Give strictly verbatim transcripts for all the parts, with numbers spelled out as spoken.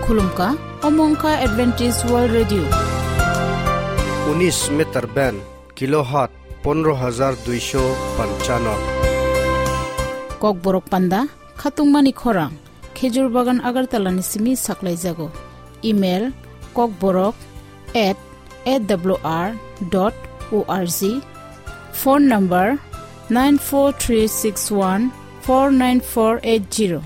Khulumkha, omo wngkha Adventist World Radio. Unis meter band, kilohertz pondro hajar duisho panchano. Kokborok panda, khatungmani khorang, Khejur Bagan Agartala ni simi saklaijago. Email, kokborok at A W R dot O R G. Phone number, nine four three six one four nine four eight zero.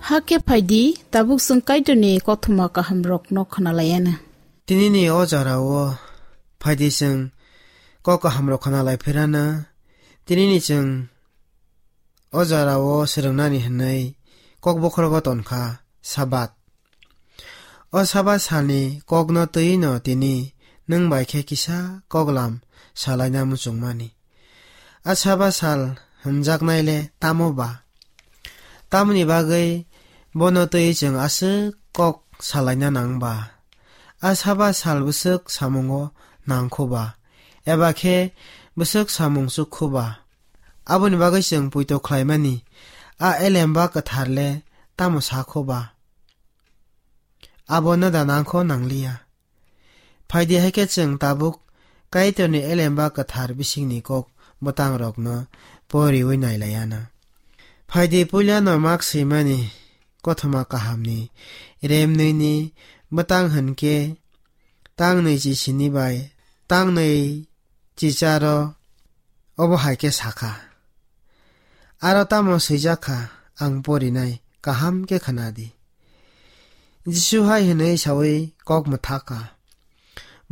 Hakhe phaidi, tabuk chwng Kaitorni kothoma kahamrokno khwnalaiana. Tinini o jorao phaidi chwng kok kahamrok khwnalai phirana. Tinini chwng o jorao swrwngnani hwnwi kok bokhorogo tonkha Sabat. O Sabat salni kokno twi'-no tini nwng bai khe kisa koklam salaina muchungmani. A Sabat sal hwnjaknai le tamo ba? Tamoni bagwi bono twi chwng aswk kok salaina nang ba? A Sabat sal bwswk samungo nang kho ba? Eba khe bwswk samung chuk kho ba? Aboni bagwi chwng poito khlaimani a Elemba Kwthar le tamo sa kho ba? abo noda nangkho nangliya. Phaidi hai khe chwng tabuk Kaitorni elemba kwthar bisingni kok bwtangrokno poriwi nailaiana. Phaidi puilano mak swimani kothoma kahamni remnwini bwtang hwnkhe tangnwi chisini bai tangnwi chicharo obo hai khe sakha. Aro tamo swijak kha, ang porinai, kaham khe khna di. Jisu hai hwnwi saui kok mwthak kha,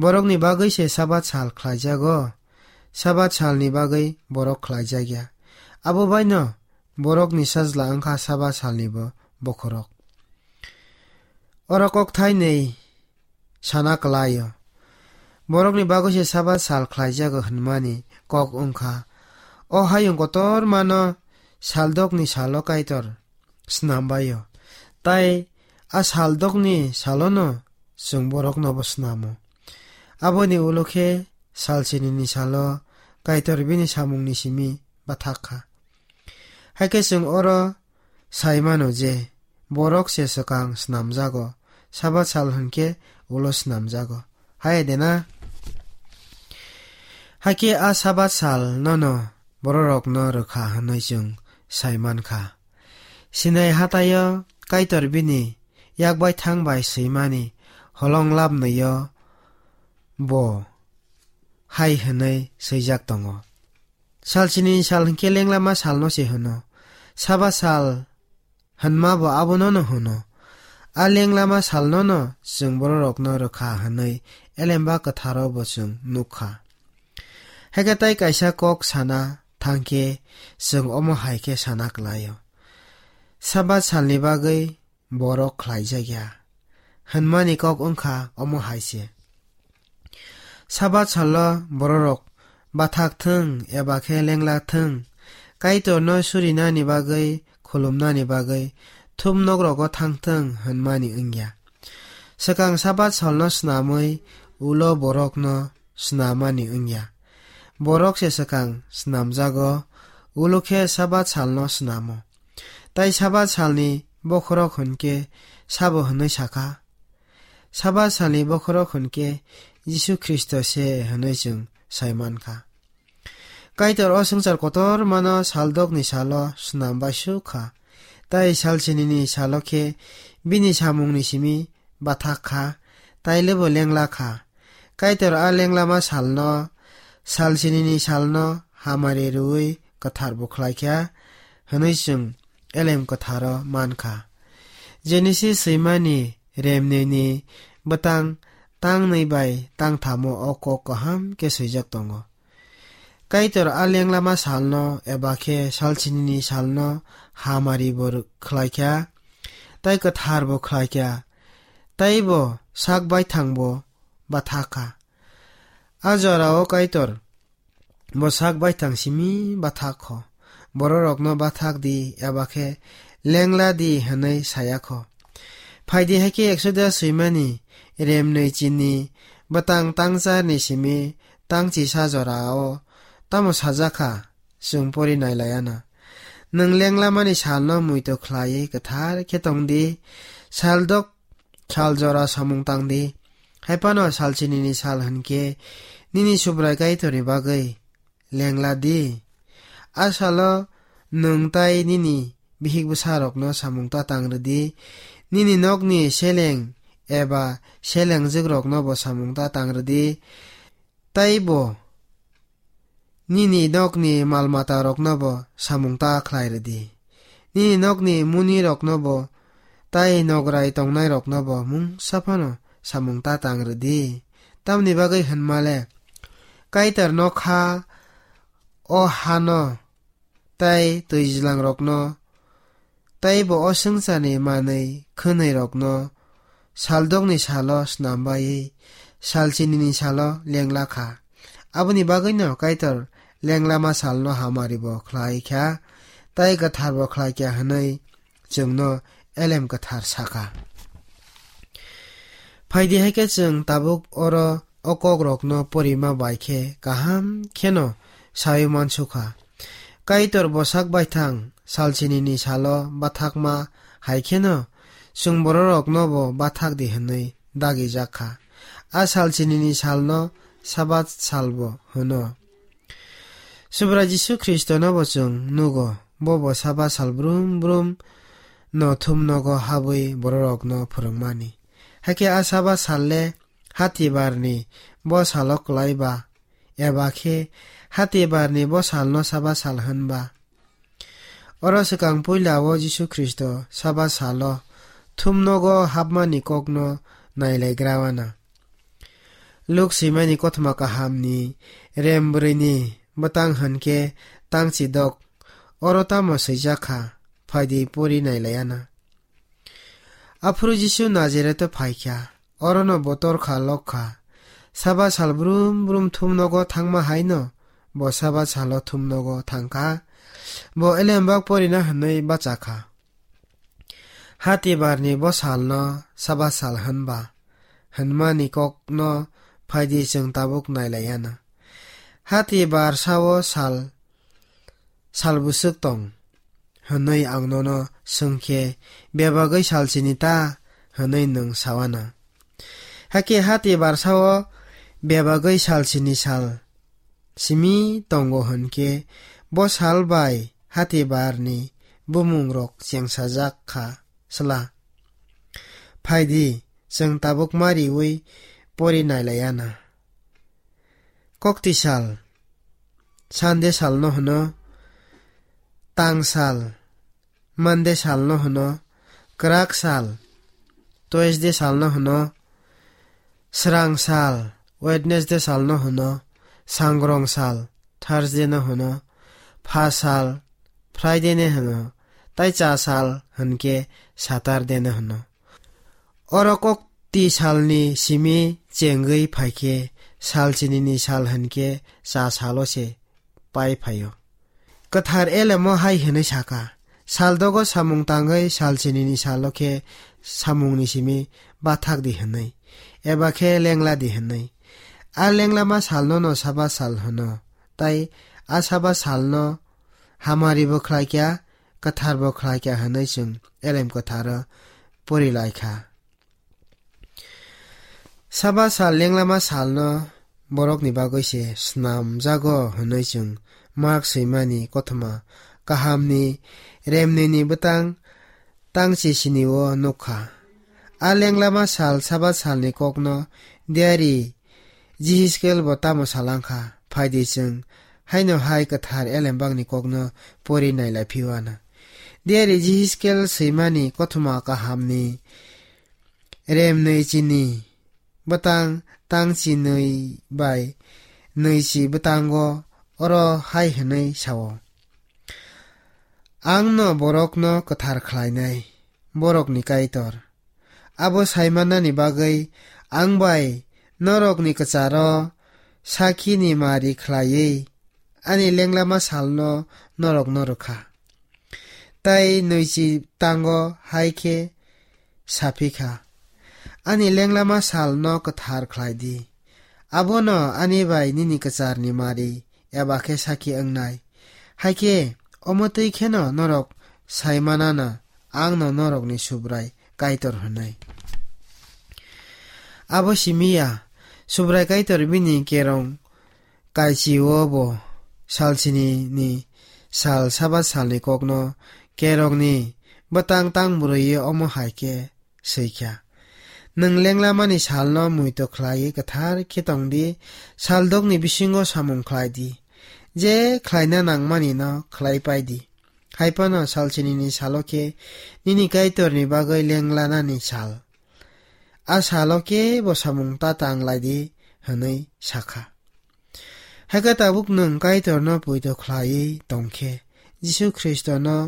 "Borokni bagwi se Sabat sal khlaijago, Sabat salni bagwi borok khlaijak ya. Abo baino borokni sajla wngkha Sabat salnibo bokhorok." Oro kok thainwi sana kwlaio. Borokni bagwi se Sabat sal khlaijago hwnmani kok wngkha. O hayung kotormano saldokni salo Kaitor snambaio. Tai a saldokni salono chwng boroknobo snamo. Aboni ulo khe salsinini salo Kaitor bini samungni simi bathak kha. Hai khe chwng oro sai mano je borok se swkang snamjago, Sabat sal hwnkhe ulo snamjago. Hai de na? Hakhe a Sabat sal nono bororokno rwkha hwnwi chwng sai mankha. Sinai hataio Kaitor bini yak bai thang bai swimani holong labnwio bo hai hwnwi swijak tongo. Salsinini sal hwnkhe lenglama salno se hwno. Sabat sal hwnmabo abonono hwno. A lenglama salnono chwng bororokno rwkha hwnwi elemba kwtharo bo chwng nukha. Hakhe tai kaisa kok sana thangkhe chwng omo hai khe sana kwlaio. Sabat salni bagwi borok khlaijak ya hwnmani kok wngkha omo hai se. Sabat salo bororok bathak thung eba khe lengla thung, Kaitorno surinani bagwi, khulumnani bagwi thum nokrogo thang thung hwnmani wngya. Swkang Sabat salno snamwi ulo borokno snamani wngya. Borok se swkang snamjago, ulo khe Sabat salno snamo. Tai Sabat salni bokhorok hwnkhe sabo hwnwi sakha? Sabat salni bokhorok hwnkhe Jisu Khristo se hwnwi chwng sai mankha. Kaitor o swngchar kotormano saldokni salo snam bai suk kha, tai salsinini salo khe bini samungni simi bathak kha, tai lebo lengla kha. Kaitor a lenglama salno, salsinini salno hamari rwui kwthar bo khlai kha hwnwi chwng elem kwtharo man kha. Genesis swimani remnini bwtang tangnwi bai tangthamo o kok kaham khe swijak tongo. Kaitor a lenglama salno eba khe salsinini salno hamari bo rw-, khlai kha, tai kwthar bo khlai kha, tai bo sak baithang bo bathak kha. A jorao Kaitor bo sak baithang simi bathak kho. Bororokno bathak di eba khe lengla di hwnwi saya kho. Phaidi hai khe Exodus swimani remnwi chini bwtang tangcharni simi tangchisa jorao tamo sajak kha, chwng pori nailaiana. Nwng lenglamani salno muitu khlaiwi kwthar khe tong di, saldok sal jora samung tang di. Hai phano salsinini sal hwnkhe nini Subrai Kaitorni bagwi lengla di. A salo nwng tai nini bihik bwsarokno samung ta tang rw di. Nini nokni seleng eba selengjwkrokno bo samung ta tang rw di. Tai bo nini nokni mal matarokno bo samung ta khlai rw di. Nini nokni munirokno bo tai nograi tongnairokno bo mungsa phano samung ta tang rw di. Tamni bagwi hwnma le, Kaitor nokha o hano tai twijlangrokno, tei bo o swngcharni manwi khwnwirokno saldokni salo snam baiwi salsinini salo lengla kha. Aboni bagwino Kaitor lenglama salno hamari bo khlai kha, tei kwthar bo khlai kha hwnwi chwngno elem kwthar sakha. Phaidi hai khe chwng tabuk oro o kokrokno porima bai khe kaham kheno saui mansukha. Kaitor bwsak baithang salsinini salo bathakma hai kheno chwng bororokno bo bathak di hwnwi dagijak kha. A sal chinini salno Sabat salbo hwno. Subrai Jisu Khristono bo chwng nugo, bo bo Sabat sal brum brum no thumnogo habwi bororokno phwrwngmani. Hakhe a Sabat sal le Hatibarni bo salo kwlai ba, eba khe Hatibarni bo salno Sabat sal hwn ba? Oro swkang puila o Jisu Khristo Sabat salo thumnogo hapmani kokno nailaigra wana. Luk swimani kothoma kahamni rem brwini bwtang hwn khe tangchi dok, oro tamo swijak kha, phaidi pori nailaiana. Aphuru Jisu Nazareto phaikha, orono bo torkha lokha. Sabat sal brum brum thumnogo thangma haino bo Sabat salo thumnogo thangkha. Bo elembak porina hwnwi bachakha. Hatibarni bo salno Sabat sal hwnba hwnmani kokno phaidi chwng tabuk nailaiana. Hatibar sao sal sal bwswk tong? Hwnwi ang nono swng khe, bebagwi sal chini ta? Hwnwi nwng sawana. Hakhe hati barsao bebagwi sal chini sal simi tongo hwn khe, bo sal bai hati barni bumungrok chengsajak kha sla. Phaidi, chwng tabuk ma riwi pori nailaiana. Kokti sal, Sunday salno hwno, tang sal, Monday salno hwno, kwrak sal, Tuesday salno hwno, srang sal, Wednesday salno hwno, sangrong sal, Thursday no hwno, pha sal, Friday no hwno, tai cha sal hwnkhe Saturday no hwno. Oro kokti salni simi chengwi phaikhe, sal chinini sal hwnkhe cha salo se pai phaio. Kwthar elemo hai hwnwi saka, sal dogo samung tangwi sal chinini salo khe samungni simi bathak di hwnwi, eba khe lengla di hwnwi. A lenglama salno no Sabat sal hwno, tai a Sabat salno hamari bo khlai kha, kwthar bo khlai kha hwnwi chwng elem kwtharo pori lai kha. Sabat sal lenglama salno borokni bagwi se snamjago hwnwi chwng Mark swimani kothoma kahamni remnini bwtang tangchi sinio nukha. A lenglama sal Sabat salni kokno diari Jihiskel bo tamo salangkha, phaidi chwng haino hai kwthar elembakni kokno pori nailai phiwana. Diari Jihiskel swimani kothoma kahamni remnwi chini bwtang tangchi nwi bai nwichi bwtango oro hai hwnwi sao, "Ang no borokno kwthar khlainai, borokni Kaitor. Abo saimanani bagwi ang bai norokni kwcharo sakhini mari khlaiwi ani lenglama salno norokno rwkha." Tai nwichi tango hai khe saphi kha, "Ani lenglama salno kwthar khlai di. Abono ani bai nini kwcharni mari eba khe sakhi wngnai. Hai khe omo twi kheno norok sai manana ang no norokni Subrai Kaitor hwnwi." Abo simi ya, Subrai Kaitor bini kerong kaichio bo sal chinini sal Sabat salni kokno kerongni bwtang tang bwrwiyo omo hai khe swi kha, "Nwng lenglamani salno muitu khlaiwi kwthar khe tong di, sal dokni bisingo samung khlai di, je khlaina nangmani no khlai pai di. Hai phano sal chinini salo khe nini Kaitorni bagwi lenglanani sal. A salo kebo samung ta tang lai di," hwnwi sakha. Hakhe tabuk nwng Kaitorno poito khlaiwi tong khe, Jisu Khristono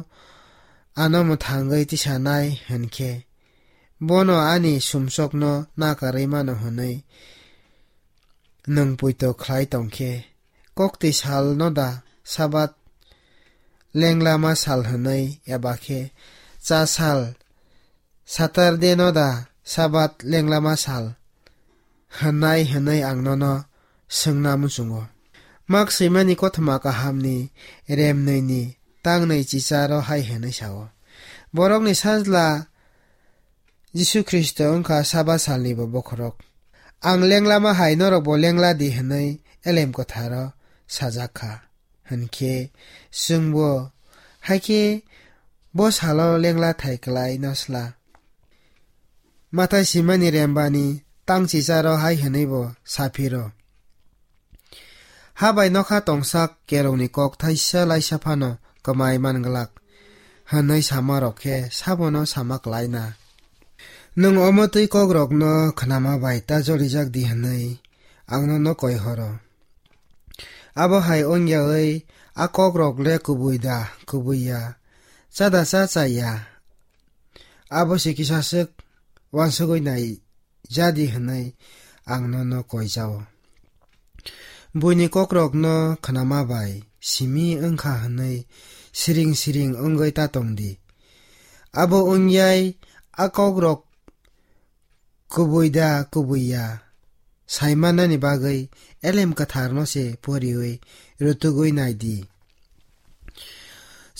ano mwthangwi tisanai hwn khe, bono ani sumsokno nakarwi mano hwnwi nwng poito khlai tong khe, kokti salno da Sabat lenglama sal hwnwi eba khe cha sal Saturday no da Sabat lenglama sal hwnai hwnwi ang nono swngna muchungo. Mak swimani kothoma kahamni remnwini tangnwi chicharo hai hwnwi sao, "Borokni sajla Jisu Khristo wngkha Sabat salnibo bokhorok. "Ang lenglama hai norokbo lengla di," hwnwi Elem Kwtharo sajak kha. Hinkhe chwngbo, "Haikhe bo salo lengla thai kwlai no sla?" Mathai simani rembani tangchicharo hai hwnwibo saphiro, "Ha bai nokha tongsak kerongni kok thaisa laisa phano kwmai man glak," hwnwi samarok khe sabono sama klaina. Nwng omo twi kokrokno khnama bai ta jolijak di hwnwi ang nono koi horo. Abo hai wngyawi a kokrok le kubui da, kubui ya, cha da cha, cha ya, abo se kisa swk uansugwi nai jadi hwnwi ang nono koi jao. Buini kokrokno khnama bai simi wngkha hwnwi siring siring wngwi ta tong di. Abo wngyai a kokrok kubui da kubui ya saimanani bagwi Elem Kwtharno se poriwi rutugwi nai di.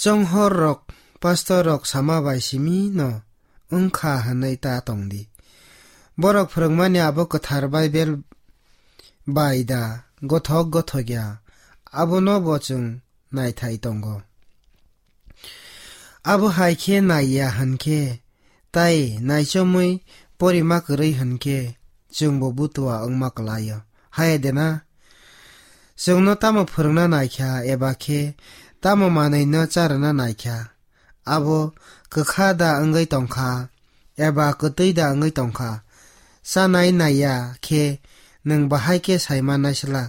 Chonghor rok, pastor rok sama bai simi no wngkha hwnwi ta tong di. Borok phwrwngmani abo kwthar Baibel bai da gothok gothok ya, abono bo chwng naithai tongo. Abo hai khe nai ya hwn khe, tai naichomwi porima kwrwi hwn khe, chwngbo butua wngma kwlaio. Hai de na? Chwngno tamo phwrwngna naikha, eba khe tamo manwino charwna naikha? Abo kwkha da wngwi tongkha, eba kwtwi da wngwi tongkha? Chanai naiya khe nwng bahai khe sai mannai sla?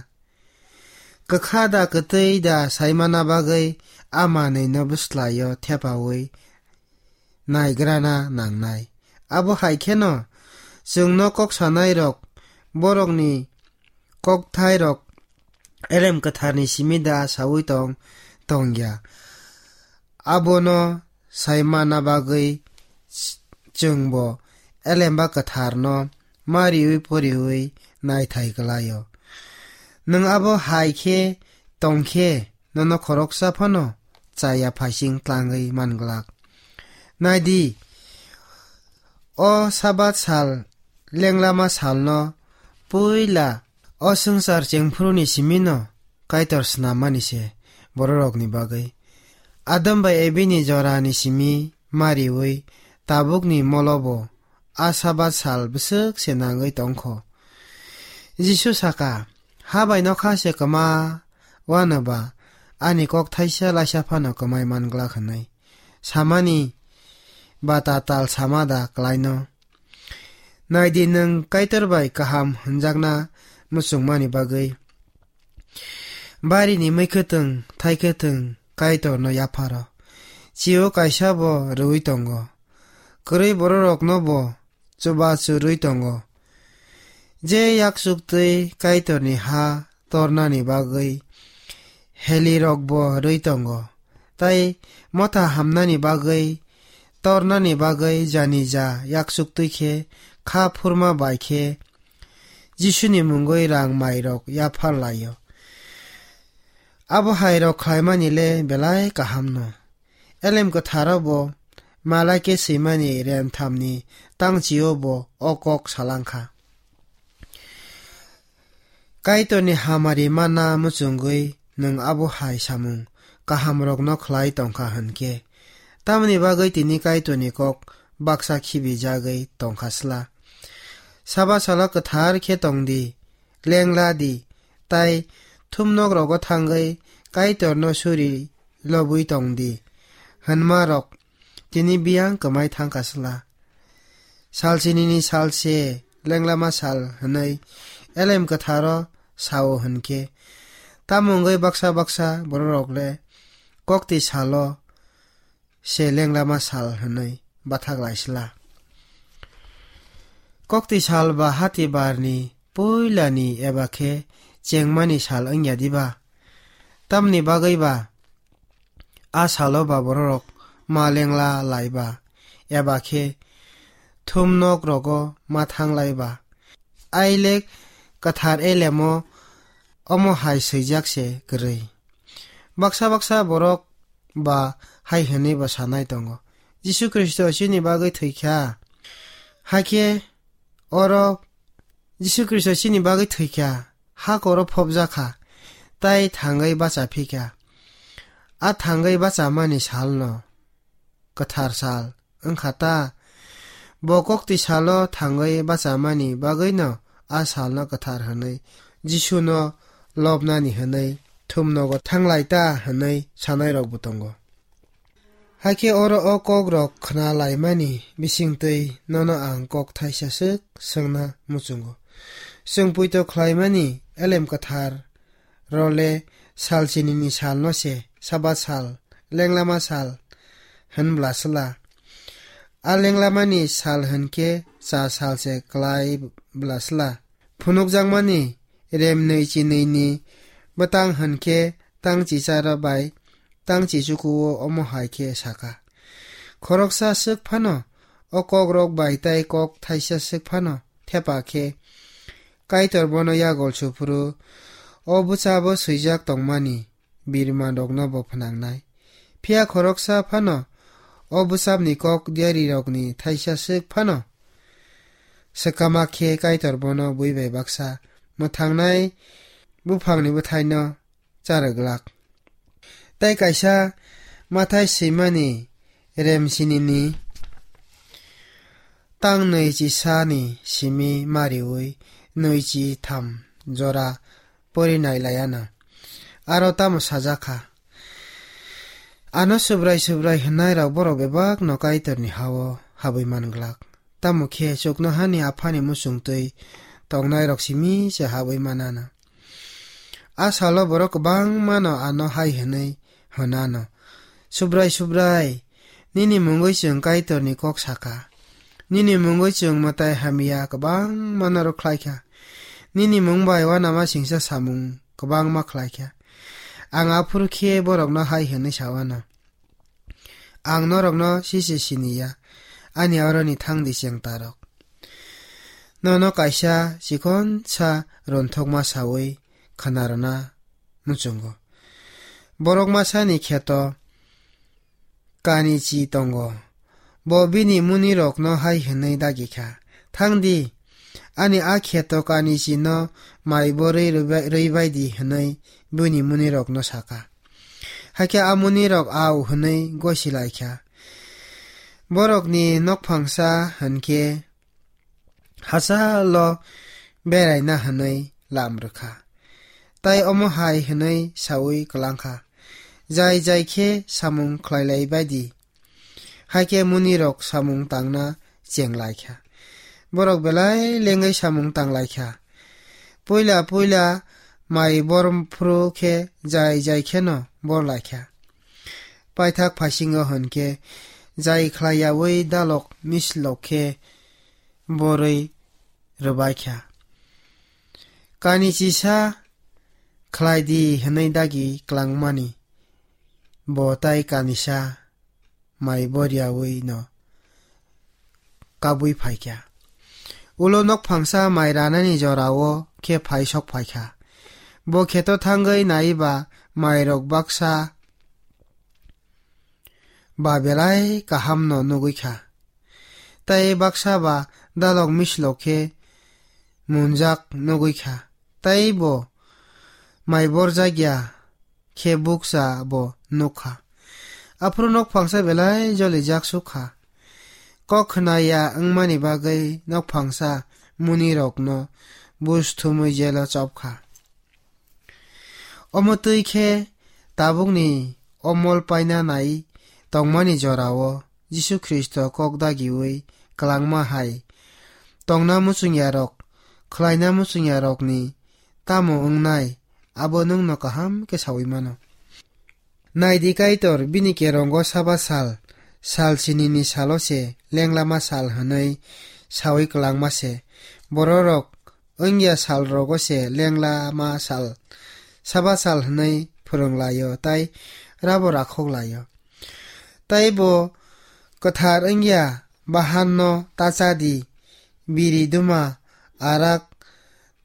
Kwkha da kwtwi da saimana bagwi a manwino bwslaio thepaui naigrana nangnai. Abo hai kheno chwngno kok sanairok borokni kokthairok Elem Kwtharni simi da saui tong tongya. Abono saimana bagwi chwngbo Elemba Kwtharno mariui poriui naithai kwlaio. Nwng abo hai khe tong khe, nono khoroksa phano chaya phaising tlangwi man glak. Nai di, o Sabat sal, lenglama salno puila o swngchar chengphuruni simino Kaitor snammani se bororokni bagwi. Adam bai Ebini jorani simi mariui tabukni molobo a Sabat sal bwswk se nangwi tongkho. Jisu saka, "Ha bai nokha se kwma wano ba ani kok thaisa laisa phano kwmai man glak," hwnwi samani ba tatal sama da kwlaino? Nai di, nwng Kaitor bai kaham hwnjakna muchungmani bagwi barini mui kwthwng, thai kwthwng Kaitorno yapharo. Chio kaisa bo rwui tongo. Kwrwi bororokno bo chubachu rwi tongo. Je yakchuktwi Kaitorni ha tornani bagwi helirokbo rwi tongo, tai motha hamnani bagwi tornani bagwi janija yakchuktwi khe kha phurma bai khe Jisuni mungwi rang mairok yaphar laio. Abo hairok khlaimani le belai kahamno. Elem Kwtharo bo Malaike swimani renthamni tangchio bo o kok salangkha. Kaitorni hamari manna muchungwi nwng abo hai samung kahamrokno khlai tongkha hwn khe, tamoni bagwi tini Kaitorni kok baksa khibijagwi tongkha sla? Saba salo kwthar khe tong di, lengla di, tai thumnokrogo thangwi Kaitorno suri lobwi tong di, hwnmarok tini biyang kwmai thangkha sla? Salsinini sal se lenglama sal hwnwi Elem Kwtharo sao hwn khe, tamo wngwi baksa baksa bororok le kokti salo se lenglama sal hwnwi bathak lai sla? Kokti sal ba hati barni puilani eba khe chengmani sal wngya diba? Tamni bagwi ba a salo ba bororok ma lengla lai ba, eba khe thumnok rogo ma thang lai ba? Ailek kwthar elemo omo hai swijak se kwrwi. Baksa baksa borok ba hai hwnwi bo sanai tongo, "Jisu Khristo chini bagwi thwi kha, Hakhe oro Jisu Khristo chini bagwi thwikha, ha koro phobjakha, tai thangwi bacha phikha. A thangwi bachamani salno kwthar sal wngkha ta. Bo kokti salo thangwi bachamani bagwino a salno kwthar hwnwi Jisuno lobnani hwnwi thumnogo thanglai ta hwnwi sanairokbo tongo. Hakhe oro o kokrok khna laimani bisingtwi nono ang kok thaisa swk swngna muchungo. Chwng poito khlaimani elem kwthar role sal chinini salno se Sabat sal, lenglama sal hwn bwlasla. A lenglamani sal hwn khe cha sal se klai bwlasla. Phunukjakmani rem nwi chinwini bwtang hwn khe tang chicharo bai tang chichukuo omo hai khe saka. Khoroksa swk phano o kokrok bai tai kok thaisa swk phano thepa khe Kaitor bono yagol suphuru o bwchabo swijak tongmani birmanrokno bo phnangnai. Phiya khoroksa phano o bwchabni kok diarirokni thaisa swk phano swkama khe Kaitor bono bui bai baksa mwthangnai buphangni bwthaino charwglak. Tai kaisa mathai swimani rem sinini tang nwi chi sani simi mariwi nwi chi tham jora pori nai laiano. Aro tamo sajak kha? Ano Subrai Subrai hwnnai rok borok bebak no Kaitor ni hao habwi man glak. Tamo khe chuknohani Aphani muchungtwi tongnai rok simi se habwi manana. A salo borok kwbangma no ano hai hwnwi hwnano, "Subrai, Subrai, nini mungwi chwng Kaitor ni kok saka. Nini mungwi chwng mwtai hamya kwbangma no rwkhlai kha. Nini mung bai uanama singsa samung kwbangma khlai kha." Ang aphuru khe borokno hai hwnwi sa uano, "Ang norokno sise sini ya, ani aroni thang di chengtarok." Nono kaisa chikonsa ronthokma saui khwnarwna muchungo. Borok masani kheto kanichi tongo. Bo bini munirokno hai hwnwi dagi kha, "Thang di, ani a kheto kanichino mai borwi rwbai-, rwibai di," hwnwi buini munirokno saka. Hakhe a munirok "Au," hwnwi gosi lai kha. Borokni nokphangsa hwn khe hachalo beraina hwnwi lam rwkha. Tai omo hai hwnwi saui kwlang kha, "Jai jai khe samung khlai lai bai di." Hakhe munirok samung tangna cheng lai kha. Borok belai lengwi samung tang lai kha. Puila puila mai bor phuru khe jai jai kheno bor lai kha. Paithak phaisingo hwn khe jai khlai yaui dalok mislok khe borwi rwbai kha. Kanichisa khlai di hwnwi dagi klangmani bo tai kanisa mai boriaui no kabui phai kha. Ulo nokphangsa mai ranani jorao khe phai sok phai kha. Bo kheto thangwi naiba mairok baksa ba belai kahamno nugui kha. Tai baksa ba dalok mislok khe munjak nugui kha. Tai bo mai borjak ya khe bukcha bo nuk kha. Aphuru nokphangsa belai jolijak suk kha. Kok khna ya wngmani bagwi nokphangsa munirokno buj thumwi jelo chop kha. Omo twi khe tabukni omol paina nai tongmani jorao Jisu Khristo kok dagiui kwlangma hai tongna muchungyarok, khlaina muchungyarokni tamo wngnai, abo nwngno kaham khe saui mano. Naidi Kaitor bini kerongo Saba sal, sal sinini salo se lenglama sal hwnwi saui kwlangma se. Bororok wngya sal rogo se lenglama sal, Saba sal hwnwi phwrwng laio tai rabo rakhok laio. Tai bo kwthar wngya bahanno ta cha di, biri duma arak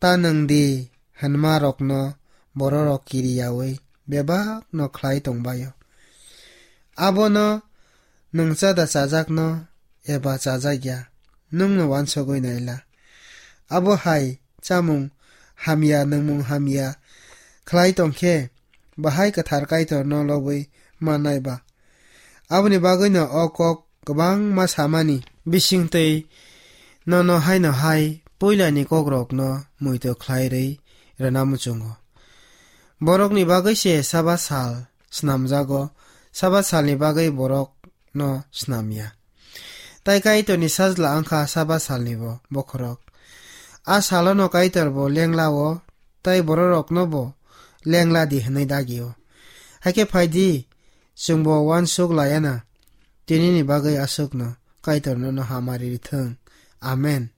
ta nwng di hwnma rokno bororok kiriyaui bebakno khlai tongbaio. Abono nwng chada chajakno eba chajakya, nwngno uansugwi naila. Abo hai chamung hamya, nungmung hamya khlai tongkhe, bahai kwthar Kaitorno lobwi mannai ba? Aboni bagwino o kok kwbangma samani bisingtwi nono haino hai puilani kokrokno muitu khlai rwi rwna muchungo. Borokni bagwi se Sabath sal snamjago, Sabath salni bagwi borokno snamya. Tai Kaitorni sajla wngkha Sabath salnibo bokhorok. A salono Kaitorbo lenglao, tai bororoknobo lengla di hwnwi dagio. Haikhe phaidi, chwngbo uansuk layana, tinini bagwi aswkno Kaitor nono hamari rithwng. Amen.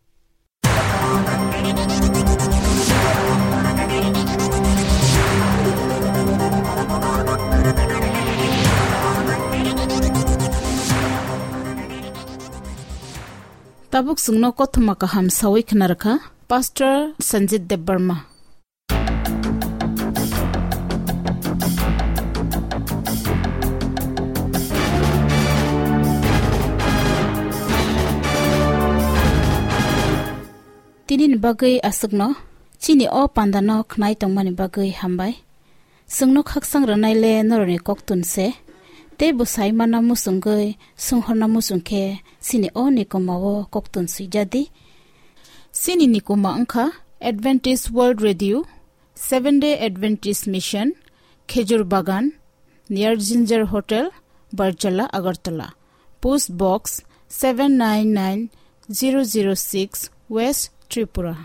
Tabuk chwngno kothoma kaham sawi khna rwkha Pastor Sanjit Debbarma. Tinini bagwi aswkno chini o pandano khnai tongmani bagwi hambai. Chwngno khaksang rwnaile norokni koktun se, tei bwsai manna muchungwi swnghorna muchung khe chini o nikomao koktun swijadi. Chini nikoma wngkha Adventist World Radio, Seventh Day Adventist Mission, Khejur Bagan, near Ginger Hotel, Barjala, Agartala. Post Box seven nine nine zero zero six, West Tripura.